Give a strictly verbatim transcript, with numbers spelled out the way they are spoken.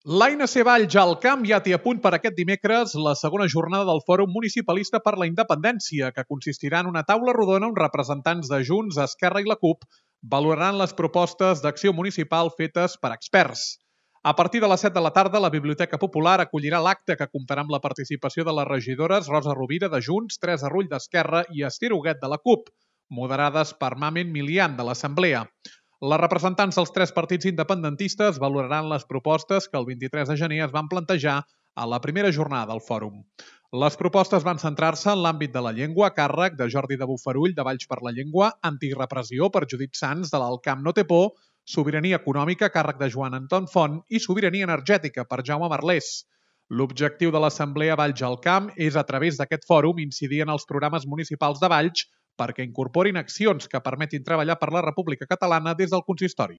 L'A N C Valls al camp ja té a punt per aquest dimecres la segona jornada del Fòrum Municipalista per la Independència, que consistirà en una taula rodona on representants de Junts, Esquerra i la CUP valoraran les propostes d'acció municipal fetes per experts. A partir de les set de la tarda, la Biblioteca Popular acollirà l'acte que comptarà amb la participació de les regidores Rosa Rovira de Junts, Teresa Rull d'Esquerra i Esther Huguet de la CUP, moderades per Mamen Milian de l'Assemblea. Les representants dels tres partits independentistes valoraran les propostes que el vint-i-tres de gener es van plantejar a la primera jornada del fòrum. Les propostes van centrar-se en l'àmbit de la llengua, a càrrec de Jordi de Bofarull, de Valls per la Llengua, antirepressió per Judit Sans, de l'Alt Camp No Té Por, sobirania econòmica, a càrrec de Joan Anton Font, i sobirania energètica per Jaume Merlés. L'objectiu de l'Assemblea Valls al Camp és, a través d'aquest fòrum, incidir en els programes municipals de Valls perquè incorporin accions que permetin treballar per la República Catalana des del consistori.